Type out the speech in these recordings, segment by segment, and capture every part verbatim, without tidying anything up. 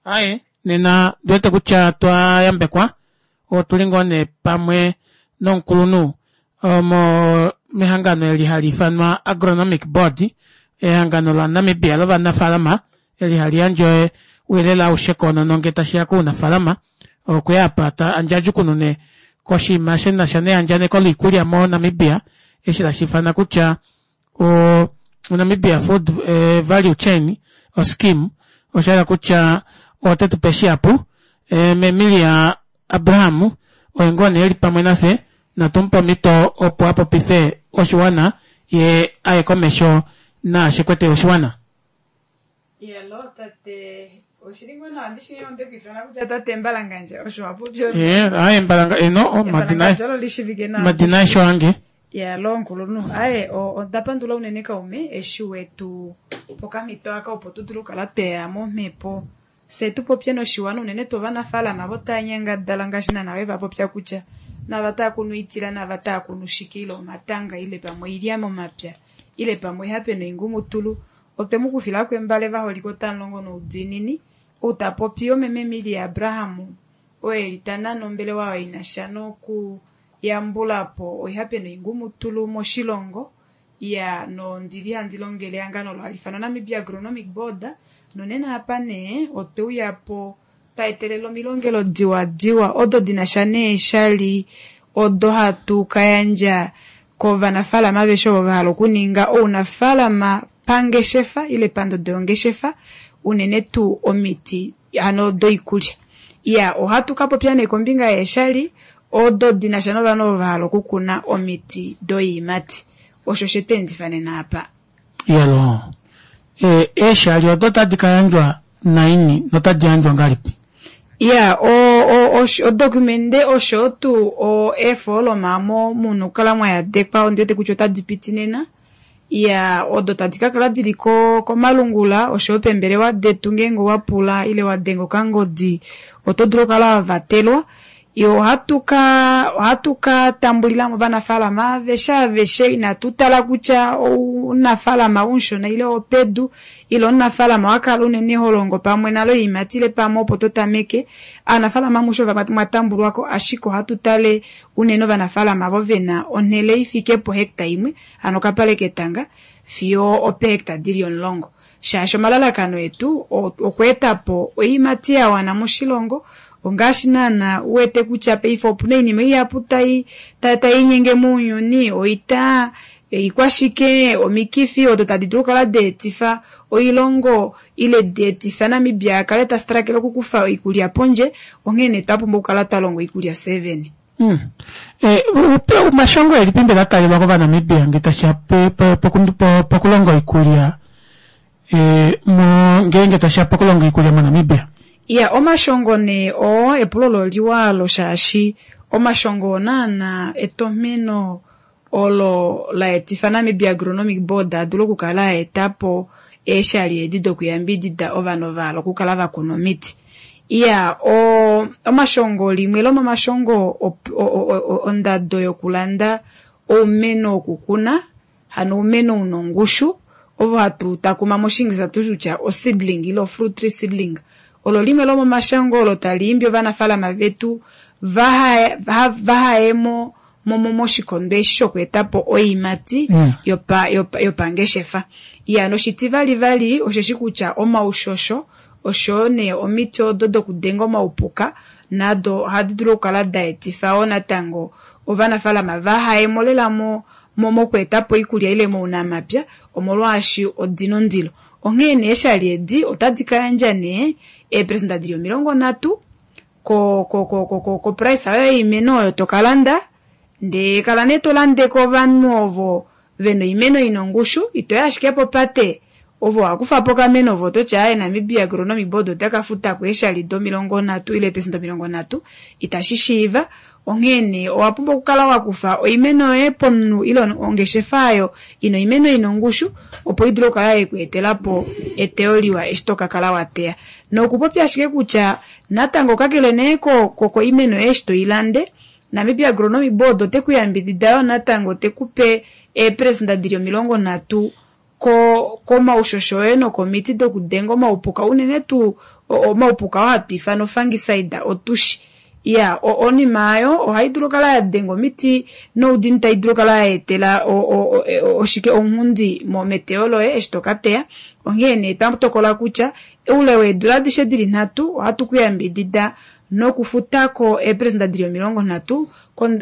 Aaye nena ondiwete kutya otwa yambekwa otuli ngoo nee pamwe nomukulunhu omo mehangano eli haliifanwa agronomic board ehangano la namibia lovanafalama eli hali yandje ouyelele aushe koonono ngee tashiya kounafalama okweya aapa tandjadjukunune koshiima shinasha neyandjaneko loikulya mo namibia eshi tashiifanwa kutya o namibia food value chain scheme oshahala kutya otetupe shihapu mee emilia abraham oye ngoo nee eli pamwe nafye natumupe omito opo apopife oshiwana yee aye komesho naashi ekwetele oshiwana. Iyaloo tate oshili ngoo nawa ndishi ondeku ifana kutya tate Mbalangandja osho wapopya ee aaye Mbalanga eno omadina Mbalangandja olo lishivike nawa omadina aeshe oange Iyaloo nkulunhu aaye onda pandula unene kaume eshi wetu pa okamhito aka opo tudule okukala tweya momhepo fye tupopye noshiwana unene tuu ovanafalama avo tava nyangadala ngaashi naana wevapopya kutya nava tava kunu oitila nava tava kunu shike ile omatanga ile pamwe oilya momapya ile pamwe oihape noingumutulu otwe mukufilako embale vaholike otamulongo noudiinini ou tapopi omeme Emilia Abraham oo eli tanane ombelewa oyo inasha noku yambulapo oihape noingumutulu moshilongo iya nondili handi longele ehangano olo hali ifanwa Namibia Agronomic Board nonena apa nee otwe uyapo twa etelela omilongelo diwadiwa odo dinasha neeshali odo hatu kayandja kovanafalama aveshe ovo vahala okuninga ounafalama pangeshefa ile pandodo yongeshefa unene tuu omiti hano doikulya iya ohatu kapopya nee kombinga yeeshali odo dinasha novanhu ovo vahala okukuna omiti doiimati osho shetweendifa nena apa. Iyaloo eeshali odo otadi kayandjwa naini notadi yandjwa ngahelipi? Iya odocumente osho tuu eefoloma omo muna okukala mwayadekwa ondiwete kutya otadi piti nena iya odo tadi kakala dili komalungula oshoyo peembelewa detu ngeenge owapula ile wadenga okangodi oto dulu okukala wavatelwa ohatu ka ohatu ka tambulilamo ovanafalama aveshe aveshe inatu tala kutya ounafalama umushona ile owopedu ile omunafalama wakala unene holongo pamwe nale oiimati ile pamwe opo totameke aanafalama amushe mwatambulwako ashike ohatu tale unene ovanafalama avo vena onhele ifike pohecta imwe hano okapale ketanga fiyo opehecta dili omulongo shaashi omalalakano etu okweetapo oiimati yawana moshilongo ongaashi naana uwete kutya paife opuna oinima ihapu tai tainyenge mounyuni oita ikwashike omikifi odo tadi dulu okukala daetifa oilongo ile daetifa Namibia akale ta struggle okukufa oikulya pondje onghee twapumbwa okukala twalonga oikulya fyee vene. Hmm. Omashongo elipi mbela ataalelwa kovanamibia ngee tashiya pokulonga oikulya ngeenge tashiya pokulonga oikulya monamibia? Iya omashongo nee oo epulo olo oliwa alo shaashi omashongo oo naana etomheno olo laetifa Namibia Agronomic Board adule okukala aetapo eeshali edi dokuyambidida ovanhu vahala okukala vakuna omiti. Iya omashongo limwe lomomashongo ondado yokulanda oumeno wokukuna hano oumeno una ongushu ovo hatu takuma moshingilisa hatuti kutya oseedling ile fruit tree seedling olo limwe lomomashongo olo tali imbi ovanafalama vetu vahaye moshikondo eshi shokweetapo oiimati yopangeshefa. Iya noshitivali vali osheshi kutya omaushosho oshoyo nee omiti odo dokudenga omaupuka nado ohadi dulu okukala daetifa wo natango ovanafalama vahayemo lela mokweetapo oikulya ile mounamapya omolwaashi odina ondilo. Onghee nee eeshali edi otadi kayandja nee eeperesenda dili omilongo nhatu koprice yoye yoimeno oyo tokalanda ndee kala nee tolande kovanhu ovo vena oimeno ina ongushu itoyi ashike popate ove owakufapo okameno ove ototi aaye Namibia Agronomic Board otaka futako eeshali domilongo nhatu ile eeperesenda omilongo nhatu itashi shiiva onghee nee owapumbwa okukala wakufa oimeno yoye pomunhu ile ongeshefa aayo ina oimeno ina ongushu opo idule okukala yekweetelapo eteyo liwa eshi tokakala wateya nokupopya ashike kutya natango kakele nee koimeno yoye eshi toilande Namibia Agronomic Board ote kuyambidida yoo natango tekupe eeperesenda dili omilongo nhatu komaushosho oye nokomiti dokudenga omaupuka unene tuu Omaupuka oo hatu ifana ofungicide otushi. Iya, onima aayo ohai dulu okukala ya denga omiti noudini tai dulu okukala ya etela oshike ounghundi meteyo loye eshi toka teya. Onghee nee twa tokola kutya oule weedula adishe dili nhatu ohatu ku yambidida nokufutako eepresenda dili omilongo nhatu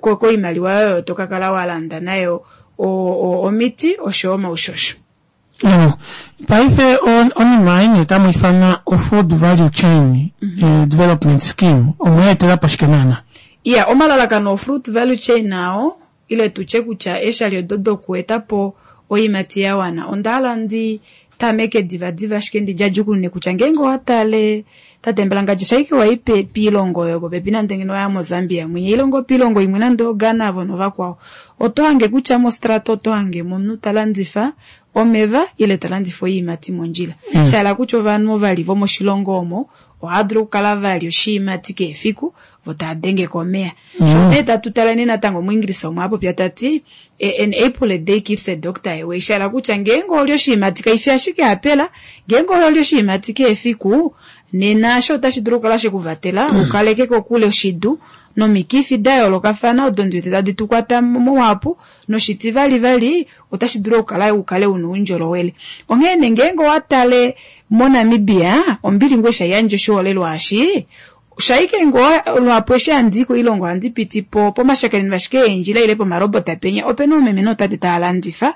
koimaliwa oyo to ka kala wa landa nayo omiti oshoyo omaushosho. Paife onima ei nee tamu ifana o food value chain development scheme omweetelapo shike naana? Iya, omalalakano o fruit value chain ao ile tutye kutya eeshali odo dokuetapo oiimati ya wana onda hala ndi tameke divadiva ashike ndi djadjukunune kutya ngeenge owa tale tate Mbalangadja shaike wai piilongo oyo popepi nande ngeno waya moZambia mwinya ile ngoo piilongo imwe nande oGhana avo novakwao oto hange kutya mostrata oto hange omunhu ta landifa omeva ile ta landifa oiimati mondjila. Mm. Shahala kutya ovanhu ovali vomoshilongo omo ohava dulu okukala vali oshiimati kehe efiku vo tava denge komeya. Mm. Sho nee tatu tala nee natango muEnglisa omwe a popya tati an apple a day keeps a doctor away. Shahala kutya ngeenge oli oshiimati kaifi ashike apela, ngeenge oli oshiimati kehe efiku nena asho otashi dulu okukala shekuvatela ukaleke kokule oshidu nomikifi da yoolokafana odo ndiwete tadi tu kwata muhapu noshitivali vali otashi dulu okukala ukale una oundjolowele. Onghee nee ngeenge owa tale moNamibia ombili ngoo eshi haiyandje oshiholelwa eshi shaike ngoo luhapu eshi handii koilongo ohandi piti po pomashakeneno ashike eendjila ile pomarobota penya opena oomeme nootate tava landifa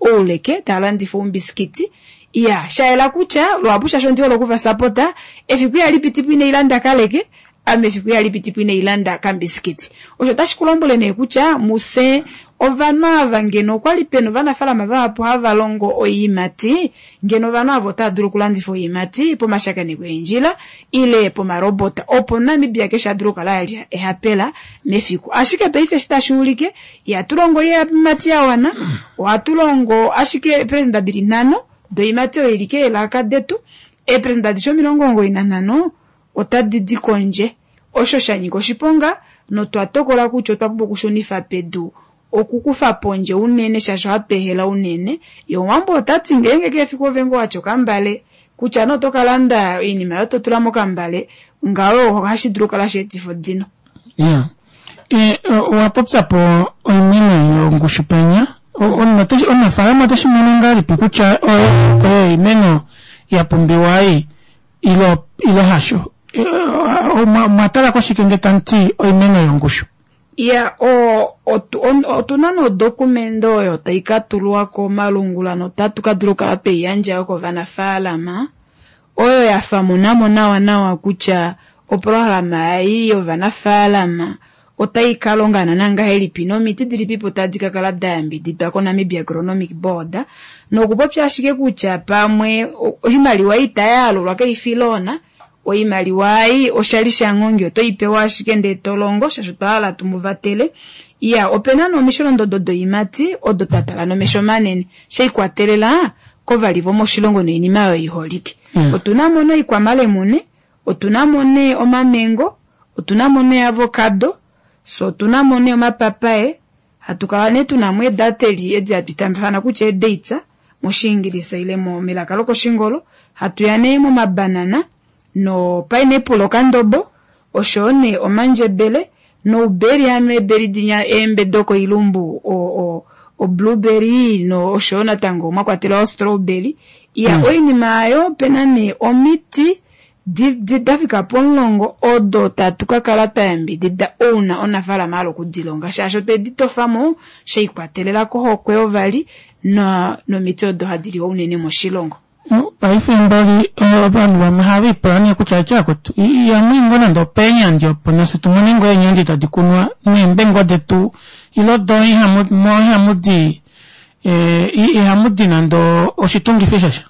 ouleke tava landifa oumbisikiti. Iya, shayela kutya luhapu shaashi ondi hole okuvasapota efiku ihali pitipo ina ilanda kaleke ame efiku ihali pitipo ina ilanda kambisikiti. Osho otashi ku lombwele nee kutya muse ovanhu ava ngeno okwali pena ovanafalama vahapu hava longo oiimati ngeno ovanhu ava otava dulu okulandifa oiimati pomashakeneko eendjila ile pomarobota opo Namibia keshe a dule okukala alya ehapela mefiku. Ashike paife eshi tashi ulike ihatu longo oiimati ya wana, ohatu longo ashike eepresenda dili nhano doiimati oyo ili keelaka detu, eepresenda adishe omilongo omugoyi nanhano otadi di kondje. Osho sha nyika oshiponga notwa tokola kutya otwa pumbwa okushunifa pedu okukufa pondje unene shaashi ohatu ehela unene. Ye omuwambo otati ngeenge kehe efiku ove ngoo watya okambale kutya nee oto kalanda oinima oyo totula mokambale ngaho ohashi dulu okukala sheetifa odino. Yeah. E, owa popya po oimeno yongushu penya. Omunafaalama oteshi mono ngahelipi kutya oyo oimeno ya pumbiwa ei ilo ilo hasho? Omwa tala koshike nge tamu ti oimeno yongushu? Iya, otuna nodokumende oyo tai ka tulwa komalungula notatu ka dula okukala twei yandja yo kovanafaalama oyo ya famunamo nawa nawa kutya oprograma ei yovanafaalama otai ka longa naana ngahelipi nomiti dilipipo tadi ka kala da yambididwa koNamibia Agronomic Board nokupopya ashike kutya pamwe oimaliwa itayaalulwa kaifi loan oimaliwa ei oshali shanghongi oto ipewa ashike ndee tolongo shaashi otwa hala tumuvatele. Iya, opena nee omisholondodo doiimati odo twa tala nomesho manene sheikwatelela kovali vomoshilongo noinima oyo iholike. Mm. Otuna mo nee oikwamalemune, otuna mo nee omamengo, otuna mo nee avocado, so otuna mo nee omapapaye, hatu kala nee tuna mo eedateli edi hatu itafana kutya eedates moshiingilisa ile melaka lokoshingolo, hatu ya nee momabanana no pineapple okandobo oshoyo nee omandjebele nouberi hano eeberi dinya eembe dokoilumbu o, o, blueberry no oshoyo natango mwa kwatelwa o strawberry. Iya, mm. oinima ayo opena nee omiti dafika pomulongo odo tatu ka kala twa yambidida ouna omunafaalama hala okudilonga shaashi otwe di tofamo sheikwatelela kohokwe yovali no nomiti odo hadi liwa unene moshilongo. Paife mboli ovanhu vamwe ohava ipula nee kutya etya kwetu ihamu i ngoo nande opeenyandi opo nafye tumone ngoo eenyandi tadi kunwa neembe ngoo detu ilo do ihamu di ihamu di nande oshitungifi shasha.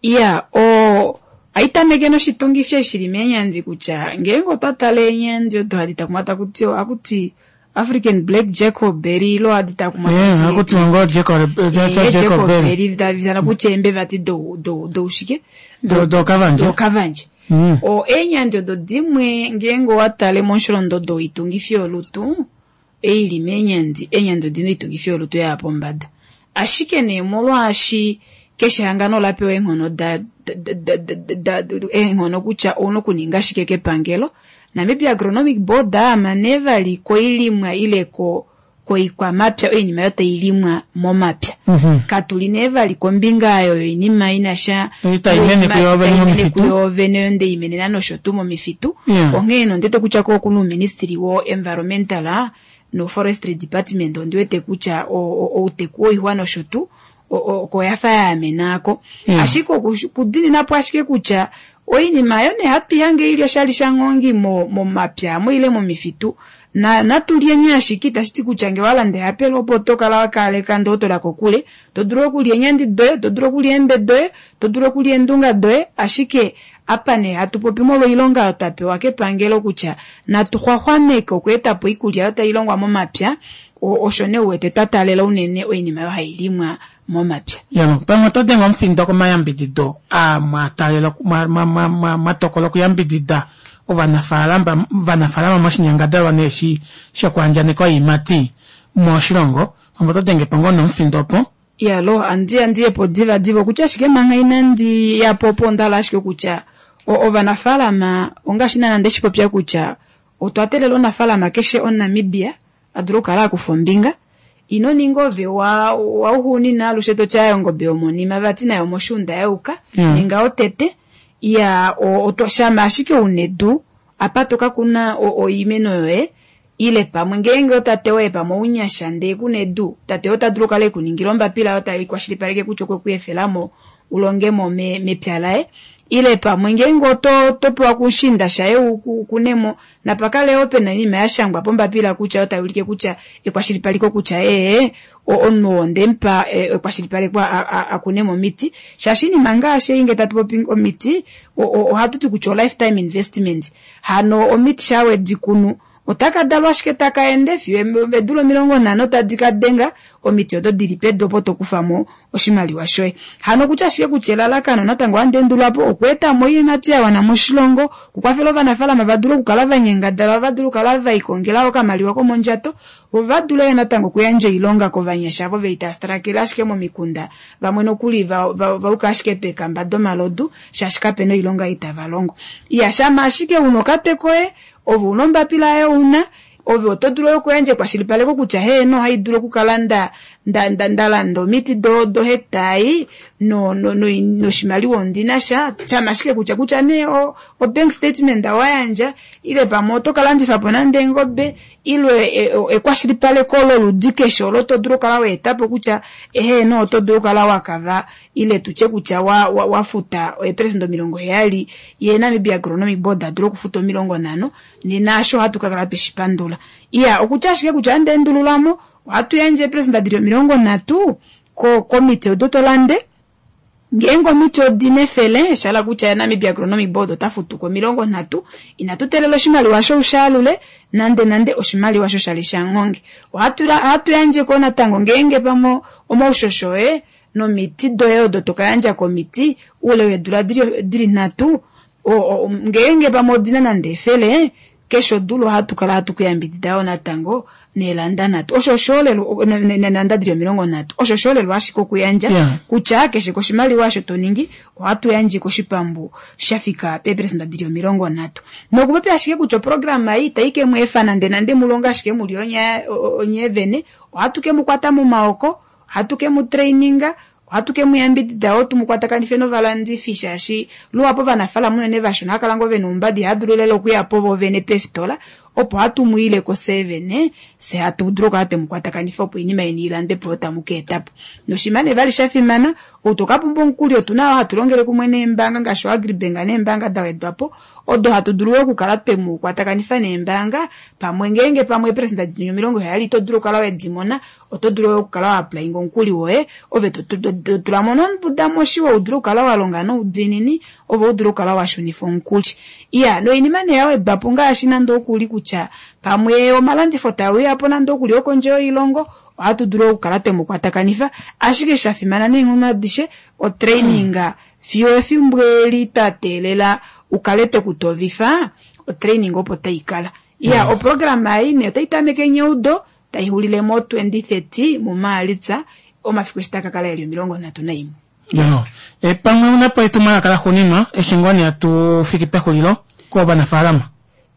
Iya, o haitameke noshitungifi eshi shili meenyandi kutya ngeenge otwa tala eenyandi odo hadi takumwa takuti ohakuti African Black Jacobberry ilo hadi takumwa hakutiwa ngoo Jacobberry tadi kutya eembe vati doushike dokavandje dokavandje. O eenyandi odo dimwe ngeenge owa tale momusholondodo woitungifi yolutu eili meenyandi, eenyandi odina oitungifi yolutu yaya pombada. Ashike nee molwaashi keshe ehangano ola pewa eenghono eenghono kutya ouna okuninga shike kepangelo. Namibia Agronomic Board aama nee vali koilimwa ile ko koikwamapya oinima oyo tailimwa momapya. Mm-hmm. Katuli nee vali kombinga oyo yoinima inasha Tai mene kuyo vene momifitu. Kuyo vene oyo ndeimenena nosho tuu momifitu. Yeah. Onghee nondete kutya ko okuna uuministry wo environmental no forestry department ondiwete kutya outeku woixwa nosho tuu oko yafa yaamenako. Yeah. Ashike okudininapo ashike kutya oinima ayo nee hatu ihange ili oshali shanghongi momapya mo ile momifitu na natulyeni ashike itashiti kutya ngee walanda ehapelo opo tokala wakaleka ndee otola kokule, to dulu okulya eenyandi doye, to dulu okulya eembe doye, to dulu okulya eendunga doye, ashike apa nee hatu popi molwa oilonga oyo twapewa kepangelo kutya natu xwaxwameke okweetapo oikulya oyo tailongwa momapya, osho nee uwete twataalela unene oinima oyo hailimwa momapya. Yalo, pamwe oto denge omufindo komayambidido aa mwataalela mwatokola okuyambidida ovanafaalama ovanafaalama moshinyangadalwa nee eshi shokuandjaneka oiimati moshilongo, pamwe oto denge po ngoo nomufindo opo. Yalo, andi andiyepo diva diva okutya ashike manga inandi yapo opo ondahala ashike kutya ovanafaalama ongaashi naana ndeshipopya kutya otwa teelela omunafaalama keshe omuNamibia a dule okukala akufa ombinga. Ino ninga ove wauxuunina alushe toti aaye ongobe yomonima vati nayo moshuunda yayuka, ninga otete. Iya shama ashike una edu apa tokakuna oimeno yoye ile pamwe ngeenge otate woye pamwe ounyasha ndee kuna edu, tate woye ota dulu okukala ekuningila ombapila oyo tai kwashilipaleke kutya okwe ku efelamo ulongemo mepya laye, ile pamwe ngeenge oto pewa kushinda shaye ukunemo, napakale yoo pena oinima yashangwa pombapila kutya oyo tayuulike kutya ekwashilipaleko kutya ee omunhu oo ondemupa ekwashilipaleko akunemo omiti, shaashi oinima ngaashi ei ngee tatu popi omiti ohatuti kutya o lifetime investment, hano omiti shaa wedikunu otaka dalwa ashike taka ende fiyo eedula omilongo nhano tadi kadenga omiti odo dili pedu opo tokufamo oshimaliwa shoye. Hano okutya ashike kutya elalakano natango ohandi endululapo okweetamo oiimati yawana moshilongo, okukwafela ovanafaalama vadule okukala vanyangadala, vadule okukala velikongela okamaliwa komondjato, vo vadule natango okuyandja oilonga kovanyasha avo veli tava stalakele ashike momikunda, vamwe nokuli vayuka ashike peekamba domalodu shaashi kapena oilonga ei tava longo. Iya shama ashike una okatwe koye, ove una ombapila yoye una, ove oto dulu okuyandja ekwashilipaleko kutya heeno ohaidulu okukala nda ndalanda omiti do hectare ei noshimaliwa ondinasha, shama ashike kutya kutya nee o bank statement wayandja ile pamwe oto kalandifapo nande eengobe ile ekwashilipaleko loludi keshe olo todulu okukala waetapo kutya heeno oto dulu okukala wakava ile tutye kutya wafuta eeprecent omilongo heyali ye Namibia Agronomic Board adule okufuta omilongo nhano, nena aasho ohatu kakala tweshipandula. Iya okutya ashike kutya ohandi endululamo ohatu yandje eeprecent dili omilongo nhatu komiti odo tolande, ngeenge omiti odina efele shahala kutya Namibia Agronomic Board ota futuko omilongo nhatu, inatu teelela oshimaliwa osho ushaalule nande nande oshimaliwa osho shali shanghonge. Ohatu yandjeko natango ngeenge pamwe omaushosho oye nomiti doye odo tokayandja komiti oule weedula dili nhatu, ngeenge pamwe odina nande efele, keshe odula ohatu kala hatu kuyambidida yoo natango neelanda nhatu, osho oshiholelwa neelanda dili omilongo nhatu, osho oshiholelwa ashike okuyandja kutya keshe koshimaliwa osho toningi ohatu yandje koshipambu shafika peeperesenda dili omilongo nhatu. Nokupopya ashike kutya oprograma ei itayi kemweefa nande nande mulonge ashike muli onye vene, ohatu kemukwata momaoko, ohatu kemutraininga, ohatu kemuyambidida yoo tumukwatakanifye novalandifi shaashi luhapu ovanafaalama unene vashona ohava kala ngoo vena oumbada ihava lela okuyapo voovene peefitola, opo hatu mwiileko fyee vene fye hatu dulu okukala twemukwatakanifa opo oinima yeni ilandwepo tamu kaetapo. Noshinima nee vali shafimana, ou tokapumbwa omukuli otuna yoo hatu longele kumwe neembaanga ngaashi o Agribank neembaanga dawedwapo odo hatu dulu yoo okukala twemukwatakanifa neembaanga pamwe ngeenge pamwe eeperesenda dili omilongo heyali ito dulu okukala wedimona, oto dulu yoo okukala wa applyinga omukuli woye ove totulamo nombuda moshiwa udule okukala walonga noudiinini ove udule okukala washunifa omukuli. Iya noinima nee yawedwapo ngaashi nande okuli kutya pamwe omalandifo taeuyapo nande okuli okondje yoilongo ohatu dulu okukala twemukwatakanifa, ashike shafimana neenghono adishe otraining fiyo efimbo eli twa teelela ukale twekutovifa otraining opo taikala. Iya oprograma ei nee otaitameke neudo taixulile mo twenty thirty muMaalitsa omafiku eshi takakala eli omilongo nhatu naimwe. Yo. E, pamwe unapo etumwalaka laxuuninwa eshi ngoo nee hatu fiki pexulilo kovanafaalama.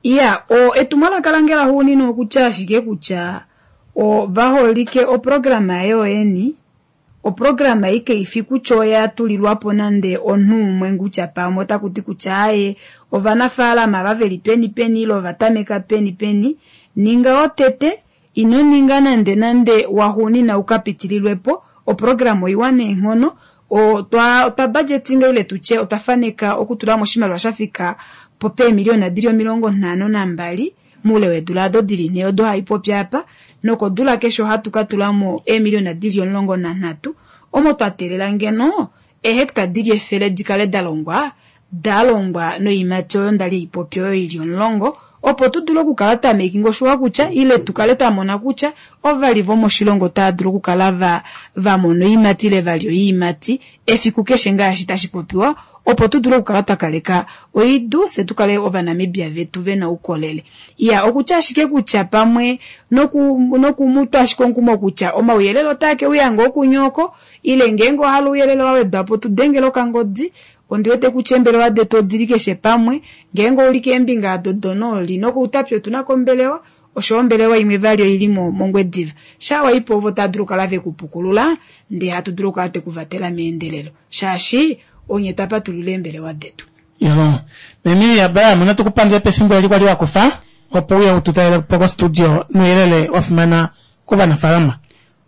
Iya, o etumwalaka lange laxuuninwa okutya ashike kutya ovaholike oprograma yoyeni oprograma ei kaifi kutya oya tulilwapo nande omunhu umwe kutya pamwe otakuti kutya aaye ovanafaalama ava veli peni peni ile ovatameka peni peni ninga wotete ino ninga nande nande waxuunina ukapitililwepo oprograma oiwa neenghono otwa otwa budgetinga ile tutye otwa faneka okutulamo oshimaliwa shafika po peemiliyona dili omilongo nhano nambali moule weedula ado dili nhee odo haipopi apa nokodula keshe ohatu katulamo eemiliyona dili omulongo nanhatu omo twa teelela ngeno eehecta dili efele dikale dalongwa dalongwa noiimati oyo ndali haipopi oyo ili omulongo opo tudule okukala twa making sure kutya ile tukale twamona kutya ovali vomoshilongo otava dulu okukala va vamona oiimati ile valya oiimati efiku keshe ngaashi tashi popiwa opo tudule okukala twakaleka oidu fye tukale ovanamibia vetu vena oukolele. Iya okutya ashike kutya pamwe noku nokumutwa ashike omukumo kutya omauyelele otaa keuya ngoo kunye oko ile ngeenge owahala ouyelele wawedwapo tudengela okangodi ondiwete kutya eembelewa detu odili keshe pamwe ngeenge ouli keembinga ado donooli nokoutapi otunako ombelewa oshoyo ombelewa imwe vali oili mongwediva shaa waipo ovo tava dulu okukala vekupukulula ndee hatu dulu okukala twekuvatela meendelelo shaashi onye twapatulula eembelewa detu. Yo. Meme Abraham natu kupandule pefimbo eli kwali wakufa opo uye ututalelepo ko studio nouyelele wafimana kovanafaalama.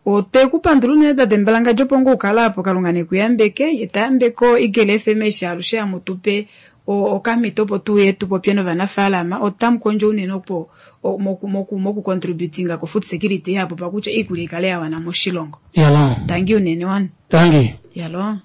Otwe kupandula unene tate Mbalangadjo opo ngoo ukala apo kalunga nekuyambeke ye tayambeke Eagle F M eshi alushe hamutupe okamhito opo tuuye tupopye novanafaalama otamu kondjo unene opo moku moku moku contributinga ko food security hapo pakutya iikulya ikale yawana moshilongo. Yalo. Tangi unene wana. Tangi. Yalo.